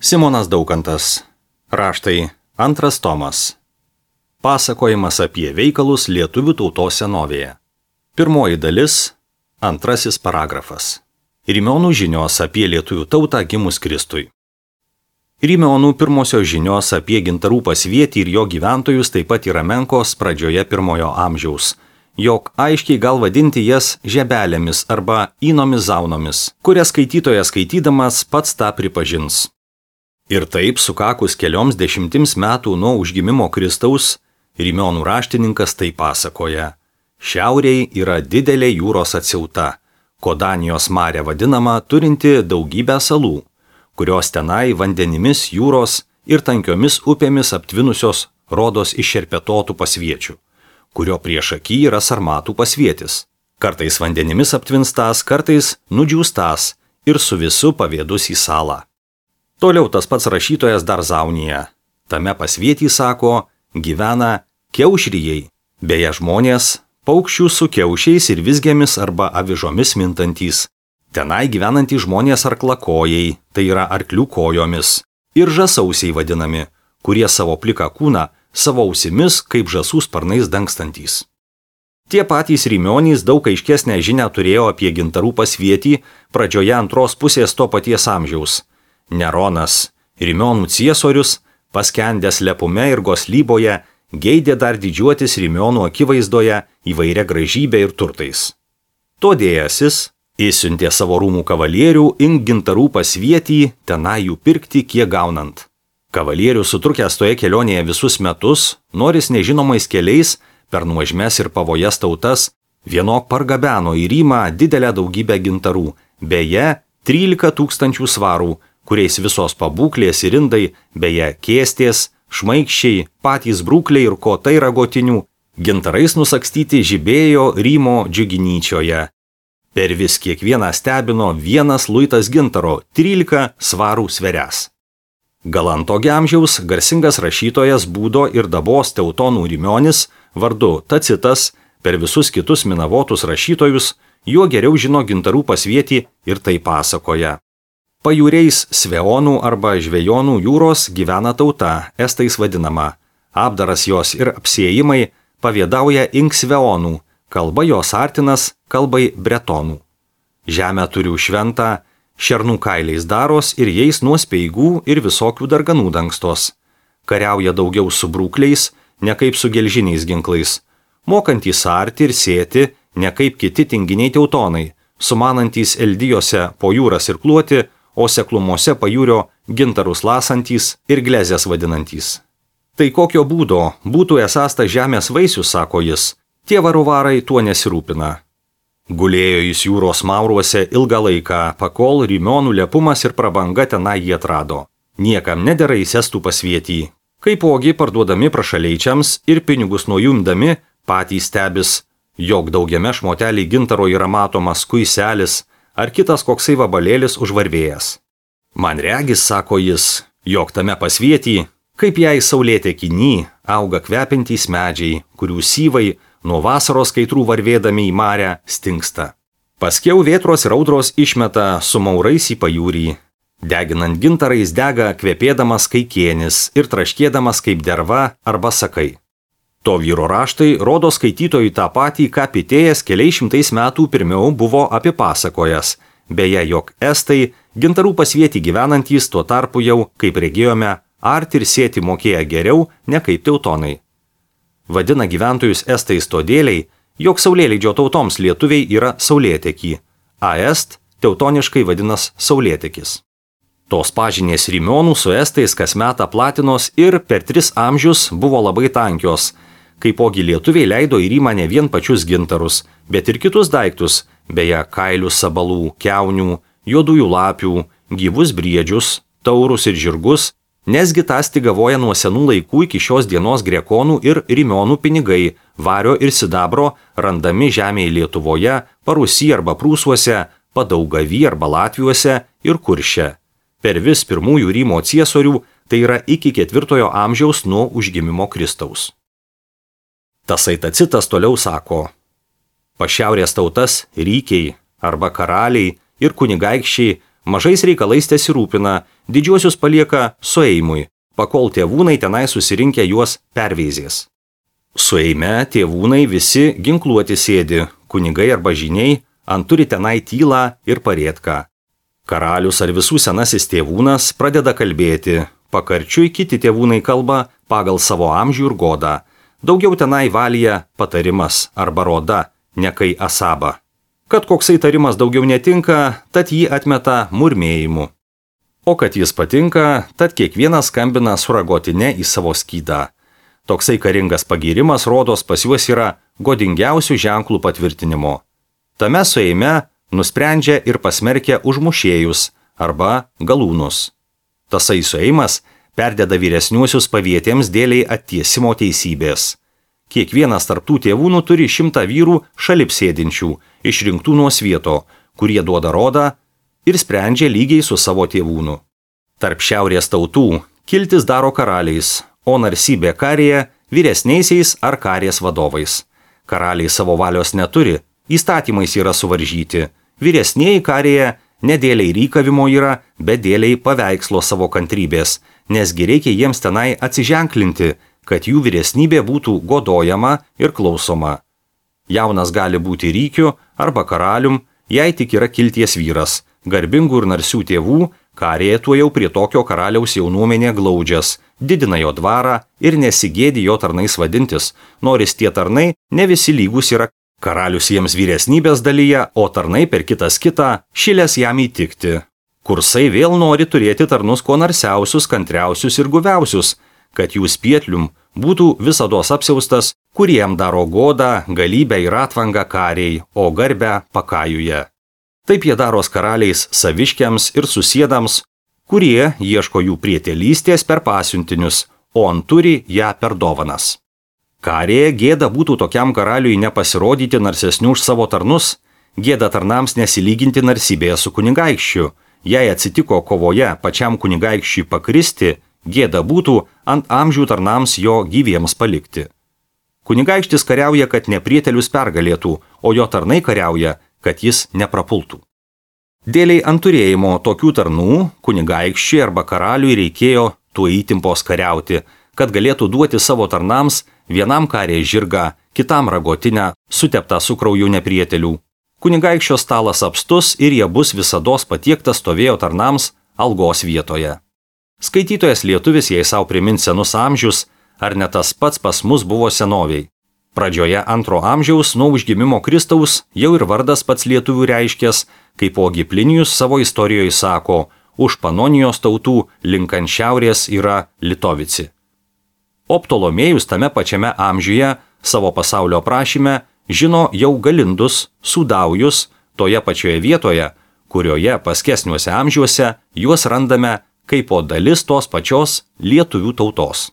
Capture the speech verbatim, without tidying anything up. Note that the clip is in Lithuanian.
Simonas Daukantas. Raštai antras tomas. Pasakojimas apie veikalus lietuvių tautos senovėje. Pirmoji dalis, antrasis paragrafas. Rimeonų žinios apie lietuvių tautą gimus Kristui. Rimeonų pirmosios žinios apie gintarų pasvietį ir jo gyventojus taip pat yra menkos pradžioje pirmojo amžiaus, jog aiškiai gal vadinti jas žebelėmis arba įnomis zaunomis, kurias skaitytojas skaitydamas pats tą pripažins. Ir taip, sukakus kelioms dešimtims metų nuo užgimimo Kristaus, Rimeonų raštininkas tai pasakoja. Šiauriai yra didelė jūros atsiauta, Kodanijos marė vadinama, turinti daugybę salų, kurios tenai vandenimis jūros ir tankiomis upėmis aptvinusios rodos iššerpetotų pasviečių, kurio priešaky yra Sarmatų pasvietis. Kartais vandenimis aptvinstas, kartais nudžiūstas ir su visu pavėdus į salą. Toliau tas pats rašytojas dar Zaunija. Tame pasvietį, sako, gyvena kiaušrijai, beje žmonės, paukščių su kiaušiais ir vizgėmis arba avižomis mintantys. Tenai gyvenantys žmonės arklakojai, tai yra arklių kojomis, ir žasausiai vadinami, kurie savo pliką kūną savo ausimis kaip žasų sparnais dangstantys. Tie patys Rimeonys daug aiškesnę žinią turėjo apie gintarų pasvietį pradžioje antros pusės to paties amžiaus. Neronas, Rimeonų ciesorius, paskendęs lepume ir goslyboje, geidė dar didžiuotis Rimeonų akivaizdoje įvairia gražybė ir turtais. Todėjasis įsiuntė savo rūmų kavalierių ink gintarų pasvietį, tenai jų pirkti kiek gaunant. Kavalierius sutrukęs toje kelionėje visus metus, noris nežinomais keliais, per nuožmes ir pavojas tautas, vienok pargabeno į Rymą didelę daugybę gintarų, beje, trylika tūkstančių svarų, kuriais visos pabūklės ir indai, beje, kėstės, šmaikščiai, patys brūkliai ir kotai ragotinių, gintarais nusakstyti žibėjo Rymo džiuginyčioje. Per vis kiekvieną stebino vienas luitas gintaro, trylika svarų sverias. Galanto amžiaus garsingas rašytojas Būdo ir Dabos teutonų Rimeonis, vardu Tacitas, per visus kitus minavotus rašytojus, juo geriau žino gintarų pasvietį ir tai pasakoja. Pajūriais Sveonų arba Žvejonų jūros gyvena tauta, estais vadinama. Apdaras jos ir apsiėjimai pavėdauja ink Sveonų, kalba jos artinas kalbai bretonų. Žemę turiu šventą, šernų kailiais daros ir jais nuo speigų ir visokių darganų dangstos. Kariauja daugiau su brūkliais, ne kaip su gelžiniais ginklais. Mokantys arti ir sėti, ne kaip kiti tinginiai teutonai, sumanantys eldijose po jūras ir kluoti, o seklumose pajūrio gintarus lasantys ir glezės vadinantys. Tai kokio būdo būtų esąs ta žemės vaisius, sako jis, tie varovarai tuo nesirūpina. Gulėjo jis jūros mauruose ilgą laiką, pakol Rimeonų lepumas ir prabanga tenai jį atrado. Niekam nedera įsestų pasvietį. Kaipogi parduodami prašaleičiams ir pinigus nuo jų imdami, patys stebis, jog daugiame šmotelį gintaro yra matomas kuiselis ar kitas koksai vabalėlis užvarvėjęs. Man regis, sako jis, jog tame pasvietį, kaip jai saulėtekyny, auga kvepintys medžiai, kurių syvai nuo vasaros kaitrų varvėdami į marę stingsta. Paskiau vėtros ir audros išmeta su maurais į pajūrį. Deginant gintarais dega kvepėdamas kaikienis ir traškėdamas kaip derva arba sakai. To vyro raštai rodo skaitytojui tą patį, ką Pitėjas keliais šimtais metų pirmiau buvo apipasakojęs, beje, jog estai gintarų pasvietį gyvenantys tuo tarpu jau, kaip regėjome, arti ir sėti mokėję geriau, ne kaip teutonai. Vadina gyventojus estais todėliai, jog saulėleidžio tautoms lietuviai yra saulėtekį, a est teutoniškai vadinas saulėtekis. Tos pažinės Rimeonų su estais kasmet platinos ir per tris amžius buvo labai tankios, kaipogi lietuviai leido į Rymą ne vien pačius gintarus, bet ir kitus daiktus, beje, kailius sabalų, kiaunių, juodųjų lapių, gyvus briedžius, taurus ir žirgus, nesgi tas tigavoja nuo senų laikų iki šios dienos grekonų ir Rimeonų pinigai, vario ir sidabro, randami žemėje Lietuvoje, Parusy arba Prūsuose, Padaugavy arba Latviuose ir Kurše. Per vis pirmųjų Rymo ciesorių, tai yra iki ketvirtojo amžiaus nuo užgimimo Kristaus. Tasai Tacitas toliau sako, pašiaurės tautas rykiai arba karaliai ir kunigaikščiai Mažais reikalais tesirūpina, didžiuosius palieka sueimui, pakol tėvūnai tenai susirinkę juos perveizės. Sueime tėvūnai visi ginkluoti sėdi, kunigai arba žiniai, ant turi tenai tylą ir parėtką. Karalius ar visų senasis tėvūnas pradeda kalbėti, pakarčiui kiti tėvūnai kalba pagal savo amžių ir godą. Daugiau tenai valyja patarimas arba roda, nekai asaba. Kad koksai tarimas daugiau netinka, tad jį atmeta murmėjimu. O kad jis patinka, tad kiekvienas skambina suragotine į savo skydą. Toksai karingas pagyrimas rodos pas juos yra godingiausių ženklų patvirtinimo. Tame sueime nusprendžia ir pasmerkia užmušėjus arba galūnus. Tasai sueimas perdeda vyresniuosius pavietėms dėliai attiesimo teisybės. Kiekvienas tarptų tėvūnų turi šimtą vyrų šalip sėdinčių, išrinktų nuo svieto, kurie duoda rodą ir sprendžia lygiai su savo tėvūnu. Tarp šiaurės tautų kiltis daro karaliais, o narsybė karėje vyresniaisiais ar karės vadovais. Karaliai savo valios neturi, įstatymais yra suvaržyti. Vyresnieji karėje ne dėliai rykavimo yra, bet dėliai paveikslo savo kantrybės, nesgi reikia jiems tenai atsiženklinti, kad jų vyresnybė būtų godojama ir klausoma. Jaunas gali būti rykiu arba karalium, jei tik yra kilties vyras, garbingų ir narsių tėvų, karėje tuo jau prie tokio karaliaus jaunuomenė glaudžias, didina jo dvarą ir nesigėdi jo tarnais vadintis, noris tie tarnai ne visi lygus yra. Karalius jiems vyresnybės dalyje, o tarnai per kitas kitą šilės jam įtikti. Kursai vėl nori turėti tarnus kuo narsiausius, kantriausius ir guviausius, kad jų spietlium būtų visados apsiaustas, kuriem daro godą, galybę ir atvangą kariai, o garbę pakajuje. Taip jie daros karaliais saviškiams ir susiedams, kurie ieško jų prietelystės per pasiuntinius, o anturi ją per dovanas. Karėje gėda būtų tokiam karaliui nepasirodyti narsesnių už savo tarnus, gėda tarnams nesilyginti narsybėje su kunigaikščiu. Jei atsitiko kovoje pačiam kunigaikščiui pakristi, gėda būtų ant amžių tarnams jo gyviems palikti. Kunigaikštis kariauja, kad neprietelius pergalėtų, o jo tarnai kariauja, kad jis neprapultų. Dėliai ant turėjimo tokių tarnų kunigaikščiui arba karaliui reikėjo tuo įtimpos kariauti, kad galėtų duoti savo tarnams vienam karė žirgą, kitam ragotinę, suteptą su krauju neprietelių. Kunigaikščio stalas apstus ir jie bus visados patiektas stovėjo tarnams algos vietoje. Skaitytojas lietuvis jei savo primins senus amžius, ar ne tas pats pas mus buvo senoviai. Pradžioje antro amžiaus nuo užgimimo Kristaus jau ir vardas pats lietuvių reiškės, kaip ogi Plinijus savo istorijoje sako, už Panonijos tautų link ant šiaurės yra Litovici. O Ptolomėjus tame pačiame amžiuje savo pasaulio aprašyme žino jau Galindus, Sudaujus, toje pačioje vietoje, kurioje paskesniuose amžiuose juos randame kaip po dalis tos pačios lietuvių tautos.